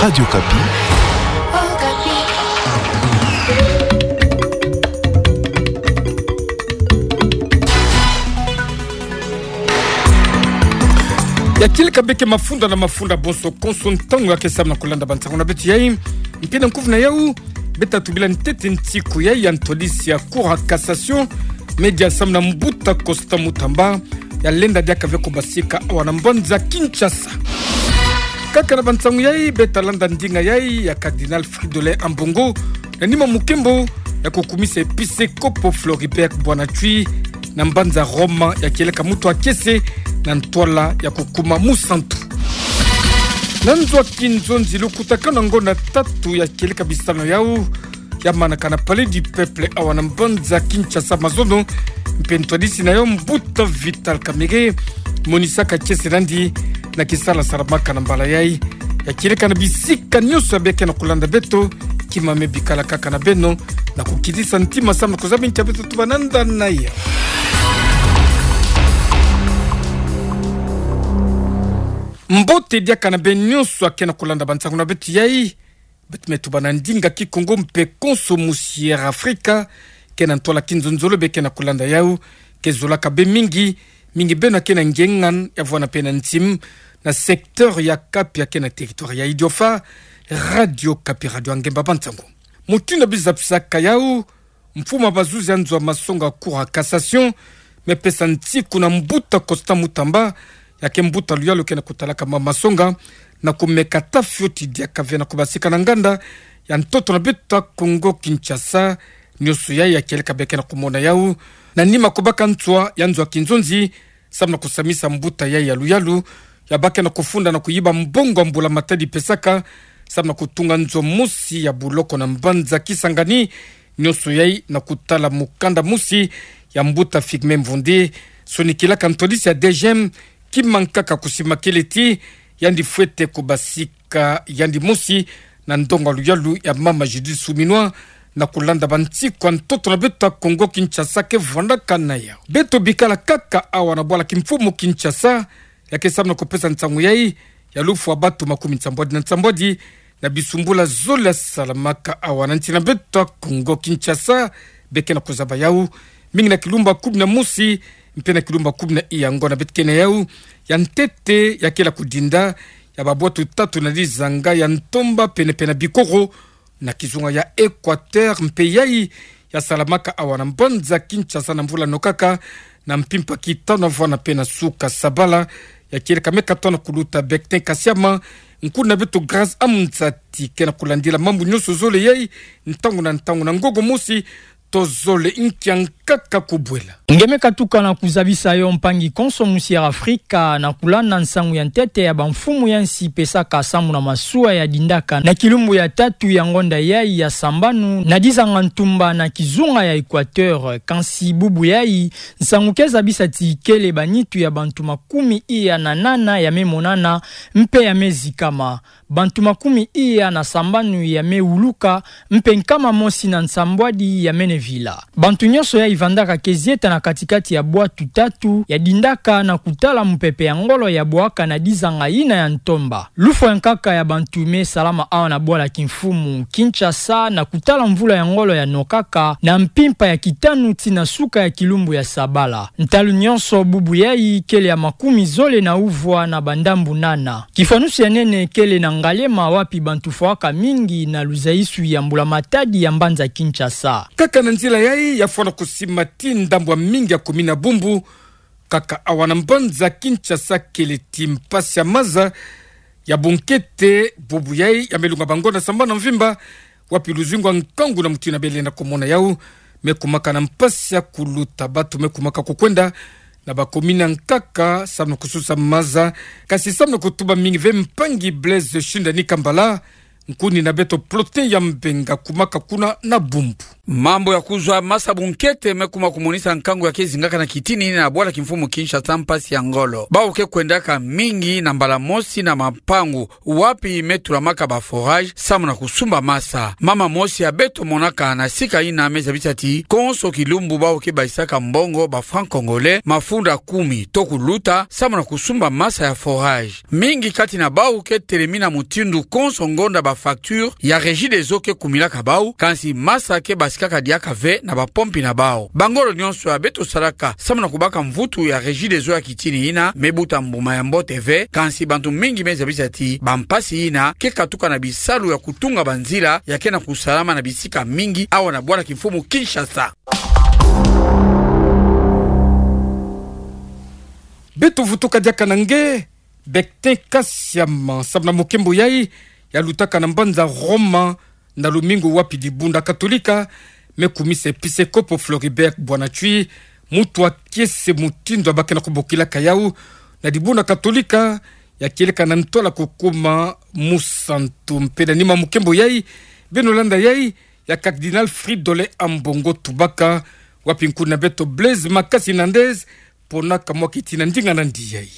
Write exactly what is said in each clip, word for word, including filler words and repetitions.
Radio Okapi. Ya kieleka bê ke mafunda na mafunda bonso konso ntangu ya ke samu na kulanda bansangu na beto yai. Mpe na nkufi na yau, beta tubila ntete nsiku yai ya ntwadisi ya Cour ya Cassation, me dia samu na mbuta Constant Mutamba, ya lenda diaka ve kubasika awa na mbanza Kinshasa. Kaka na bansangu yai, beta landa ndinga yai ya Cardinal Fridolin Ambongo, na nima mukembo ya kukumisa episekopo Floribert Bwana Tshwi, na mbanza Roma, ya kieleka muntu ya kiese na ntwala ya kukuma musantu. Na nzo ya kinzonzi, lukutakanu na ngonda tatu ya kieleka bisalano yau, ya manaka na Palais du Peuple awa na mbanza Kinshasa mazono, mpe ntwadisi na yau mbuta Vital Kamerhe, monisaka kiese nandi na kisala salamaka na mbala yai. Ya kieleka na bisika nyonso ya bê ke na kulanda beto, kimame bikala kaka na beno, na kukitisa ntima samu na kuzaba ntia beto tubananda na yau. Mbote diaka na bê nyonso ya ke na kulanda bansangu na beto yai. Beto me tubana ndinga Kikongo mpe konso musi Air Africa, ke na ntwala kinzonzolo bê ke na kulanda yau, ke zolaka bê mingi, mingi beno ya ke na ngengan ya vwanda mpe na ntim, na secteur ya Cap ya ke na territoire ya Idiofa, Radio Okapi, radio ya ngemba bansangu. Mutindu bizapisaka yau, mfumu ya bazuzi ya nzo ya masonga Cour ya Cassation, me pesa nsiku na mbuta Constant Mutamba, ya ke mbuta luyalu ke na kutalaka mambu masonga, na kumeka ta fioti diaka ve na kubasika na nganda ya ntoto na beto ya Congo Kinshasa, nyonso yai ya kieleka bê ke na kumona yau, na nima kubaka nswa ya nzo ya kinzonzi, samu na kusamisa mbuta yai ya luyalu, ya baka na kufunda na kuyiba mbongo ya mbula-matadi pesaka, samu na kutunga nzo mosi ya buloko na mbanza Kisangani, nyonso yai na kutala mukanda mosi ya mbuta Firmin Mvonde, sonikilaka ntwadisi ya DGM, kima nkaka kusimakele ti yandi fwete kubasika yandi mosi na ndonga luyalu ya mama Judith Suminwa, na kulanda bansiku ya ntoto na beto ya Congo Kinshasa ke vwandaka na yau. Beto bikala kaka awa na bwala kimfumu Kinshasa, ya ke samu na kupesa nsangu yai, ya lufwa bantu makumi nsambwadi na nsambwadi na bisumbula zole ya salamaka awa na nsi na beto ya Congo Kinshasa, bê ke na kuzaba yau, mingi na kilumbu ya kumi na mosi, mpe na kilumbu ya kumi na iya ngonda beto ke na yau, ya ntete ya kela kudinda ya babwatu tatu na dizanga ya ntomba pene-pene na bikoro, na kizunga ya Equateur, mpe yai ya salamaka awa na mbanza Kinshasa na mvula nokaka, na mpimpa kitanu vwanda mpe na suka sabala, ya kieleka me katona kuluta Bectin Kasiama, nkuna beto Grace Amzati ke na kulandila mambu nyonso zole yai, ntangu na ntangu na ngolo mosi, tozole nkia nkaka kubwela. Nge me katuka na kuzabisa yo mpangi konso musi Air Africa na kulanda nsangu ya ntete ya bamfumu ya nsi pesaka samu na masuwa ya dindaka na kilumbu ya tatu ya ngonda yai ya sambanu na dizanga ntumba na kizunga ya Equateur, kansi bubu yai, nsangu ke zabisa ti kele banitu ya bantu makumi iya na nana ya me monana, mpe ya me zikama. Bantu makumi iya na sambanu ya me wuluka, mpe nkama mosi na nsambwadi ya mene vila. Bantu nyonso yai vandaka ke zieta na kati-kati ya bwatu tatu ya dindaka na kutala mupepe ya ngolo ya bwaka na dizanga yina ya ntomba. Lufwa ya nkaka ya bantu me salama awa na bwala kimfumu Kinshasa na kutala mvula ya ngolo ya nokaka na mpimpa ya kitanu tii na suka ya kilumbu ya sabala. Ntalu nyonso bubu yai kele ya makumi zole na uvwa na bandambu nana. Kifwanusu ya nene kele na Ngaliema wapi bantu fwaka mingi na luzayisu ya mbula-matadi ya mbanza Kinshasa. Kaka na nzila yai ya fwana kusima tii ndambu ya mingi ya kumina bumbu, kaka awa na mbanza Kinshasa kele ti mpasi ya maza ya bunkete, bubu yai ya me lunga bangonda sambanu na mvimba, wapi luzingu ya nkangu na mutindu bê lenda kumona yau, me kumaka na mpasi ya kuluta, bantu me kumaka kukwenda na bakomini ya nkaka samu na kususa maza, kansi samu na kutuba mingi ve mpangi Blaise Shindani Kambala, Nkuni na beto Plotin ya Mbenga kumaka kuna na Bumbu. Mambu ya kuzwa masa bunkete me kuma kumonisa nkangu ya ke zingaka na kitini na bwala kimfumu Kinshasa mpasi ya ngolo. Bawu ke kwendaka mingi na mbala mosi na mapangu wapi me tulamaka ba forage samu na kusumba masa. Mama mosi ya beto monaka na sika ina me zabisa ti konso kilumbu bawu ke bayisaka mbongo ba francs congolais mafunda kumi to kuluta samu na kusumba masa ya forage. Mingi kati na bawu ke telemi na mutindu konso ngonda ba facture ya Regideso ke kumilaka bawu, kansi masa ke basikaka diaka ve na ba pompi na bawu. Ba ngolo nyonso ya beto salaka samu na kubaka mvutu ya Regideso ya kitini ina me buta mbuma ya mbote ve, kansi bantu mingi me zabisa ti ba mpasi ina ke katuka na bisalu ya kutunga ba nzila ya ke na kusalama na bisika mingi awa na bwala kimfumu Kinshasa. Beto vutuka diaka na nge, Bectin Kasiama, samu na mukembo yai ya lutaka na mbanza Roma na lumingu, wapi dibundu ya Katolika me kumisa episekopo Floribert Bwana Tshwi mutu wa kiese mutindu ya ba ke na kubokilaka yawu na dibundu ya Katolika, ya kieleka na ntwala kukuma musantu. Mpe na nima mukembo yai, beno landa yai ya Cardinal Fridolin Ambongo Tubaka, wapi nkuni na beto Blaise Makasi Nandez ponaka mwa kiti na ndinga na ndi yai.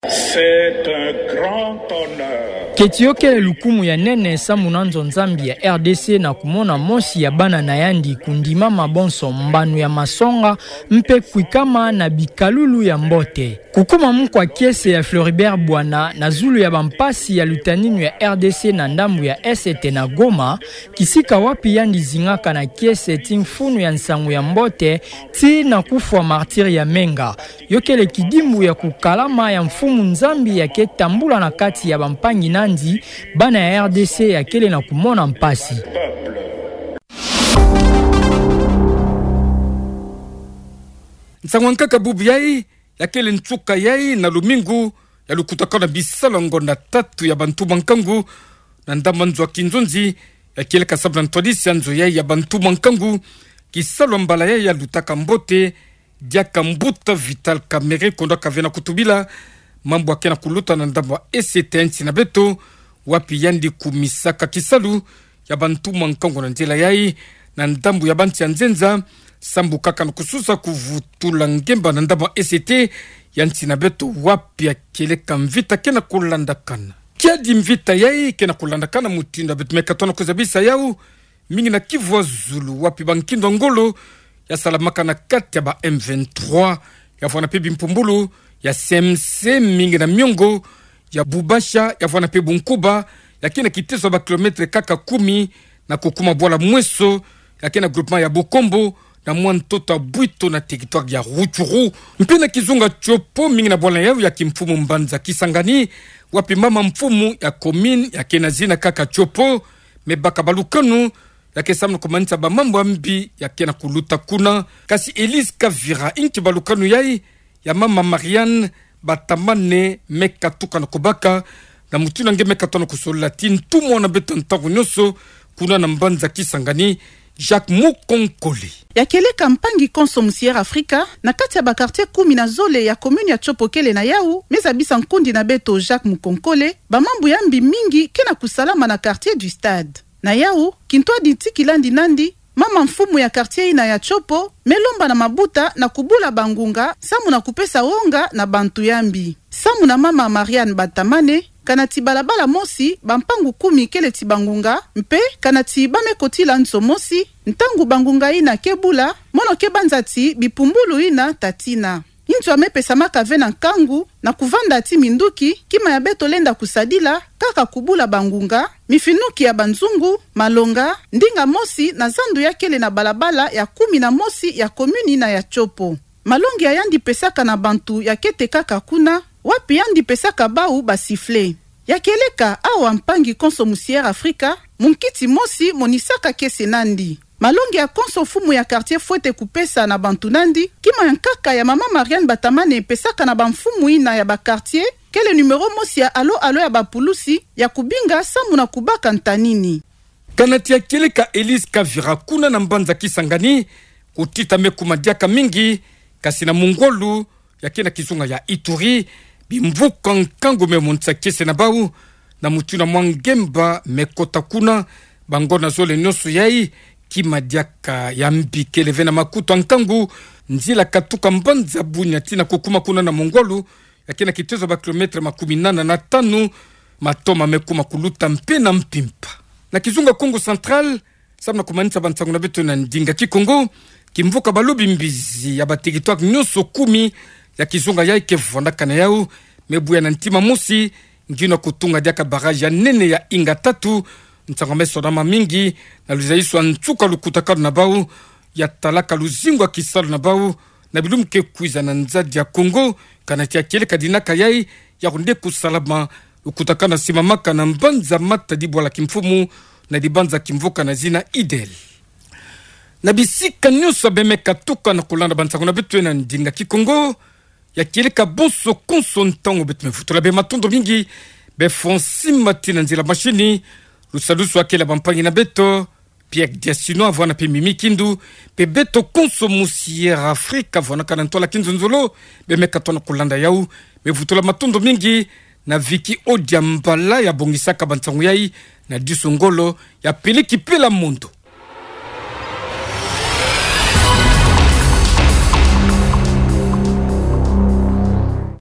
C'est un grand honneur. Keti yo kele lukumu ya nene samu na nzo Nzambi ya R D C na kumona mosi ya bana na yandi kundimama bonso mbanu ya masonga mpe kwikama na bikalulu ya mbote. Kukuma mukwa kiese ya Floribert Bwana na zulu ya ba mpasi ya lutaninu ya R D C na ndambu ya Est na Goma, kisika wapi yandi zingaka na kiese ti mfunu ya nsangu ya mbote, tii na kufwa martyr ya Menga. Yo kele kidimbu ya kukalama ya Mfumu Nzambi ya ke tambula na kati ya bampangi nandi, bana ya R D C ya kele na kumona mpasi. Nsangu ya nkaka bubu yai, ya kele nsuka yai na lumingu, ya lukutakana bisalu ya ngonda tatu ya bantu ba nkangu, na ndambu ya nzo ya kinzonzi, ya kieleka samu na ntwadisi ya nzo yai ya bantu ba nkangu, kisalu ya mbala yai ya lutaka mbote, diaka mbuta Vital Kamerhe kondaka ve na kutubila mambu ya ke na kuluta na ndambu ya Est ya nsi na beto, wapi yandi kumisaka kisalu ya bantu ba nkangu na nzila yai, na ndambu ya bansi ya nzenza, sambu kaka na kususa kuvutula ngemba na ndambu ya Est ya nsi na beto, wapi ya kieleka mvita ke na kulandakana. Kiadi mvita yai ke na kulandakana mutindu ya beto me katono kuzabisa yawu, mingi na Kivu ya zulu, wapi ba nkindo ya ngolo ya salamaka na kati ya ba M vingt-trois, ya vwanda mpe bimpumbulu ya C M C, mingi na miongo ya Bubasha, ya vwanda mpe Bunkuba, ya ke na kiteso ya ba kilomètre kaka kumi na kukuma bwala Mweso, ya ke na groupement ya Bukombo, na mwa ntoto ya Bwito na territoire ya Rutshuru. Mpe na kizunga Tshopo, mingi na bwala yawu ya kimfumu mbanza Kisangani, wapi mama mfumu ya commune ya ke na zina kaka Tshopo me baka balukanu, ya ke samu na kumanisa ba mambu ya mbi ya ke na kuluta kuna. Kasi Elise Kavira, inki balukanu yai ya mama Marianne Batamane me katuka na kubaka, na mutindu nge me katono kusolila ti ntumwa na beto ntangu nyonso kuna na mbanza Kisangani, Jacques Mukonkole. Ya kieleka mpangi konso musi Air Afrika, na kati ya ba quartier kumi na zole ya commune ya Tshopo kele na yawu, me zabisa nkundi na beto Jacques Mukonkole, ba mambu ya mbi mingi ke na kusalama na quartier du Stade. Na yawu, kintwadi ti kilandi nandi, mama mfumu ya quartier yina ya Tshopo me lomba na mabuta na kubula bangunga samu na kupesa wonga na bantu ya mbi. Samu na mama Marianne Batamane, kana ti balabala mosi, bampangu kumi kele ti bangunga, mpe kana ti ba me kotila nzo mosi, ntangu bangunga yina ke bula, mono ke banza ti bipumbulu yina ta tina. Nzo ya me pesamaka ve na nkangu na kuvanda ti minduki, kima ya beto lenda kusadila, kaka kubula bangunga, mifinuki ya banzungu, malonga, ndinga mosi na zandu ya kele na balabala ya kumi na mosi ya commune yina ya Tshopo. Malongi ya yandi pesaka na bantu ya ke tekaka kuna, wapi yandi pesaka bawu ba sifflet. Ya kieleka awa mpangi konso musi Air Afrika, munkiti mosi monisaka kiese nandi. Malongi ya konso mfumu ya quartier fwete kupesa na bantu nandi, kima ya nkaka ya mama Marianne Batamane pesaka na bamfumu yina ya ba quartier, kele numéro mosi ya alo alo ya bapulusi ya kubinga samu na kubaka ntanini. Kana ti ya kieleka Elise Kavira kuna na mbanza Kisangani, kutita me kuma diaka mingi, kasi na mungwalu ya ke na kizunga ya Ituri, bimvuka nkangu me monisa kiese na bawu, na mutindu na mwa ngemba mekota kuna. Bangona zole nyonso yai, kima diaka ya mbi kele ve na makutu ya nkangu, nzila katuka mbanza Bunia tii na kukuma kuna na Mongwalu, ya ke na kitezo ya ba kilomètre makumi nana na tanu, matoma mekuma kuluta mpe na mpimpa. Na kizunga Kongo Central, samu na kumanisa bansangu na beto na ndinga Kikongo, kimvuka balobi mbizi ya ba territoire nyonso kumi ya kizunga yai ke vwandakana yau, me buya na ntima mosi, ngina kutunga diaka barrage ya nene ya Inga tatu, nsangu me sonama mingi, na luzayiswa nsuka lukutakanu na bau, ya talaka luzingu ya kisalu na bau, na bilumbu ke kwiza na nzadi ya Kongo, kana tia kieleka dinaka yai, ya kunde kusalama, lukutakanu na simamaka na mbanza Matadi bwala kimfumu, na dibanza kimvuka na zina Idel. Na bisika nyonso beme katuka na kulanda bansangu na beto na ndinga Kikongo, ya kieleka bonso konso ntangu beto me vutula bê matondo mingi, bê Francine Mati na nzila mashini, lusalusu ya kele bampangi na beto, Pierre Diasino, vwanda mpe Mimi Kindu, mpe beto konso musi Air Afrique, vwandakana ntwala kinzonzolo, beme katona kulanda yau, me vutula matondo mingi, na Vicky Odiambala ya bongisaka bansangu yai, na Diso Ngolo, ya peleki pela mondo.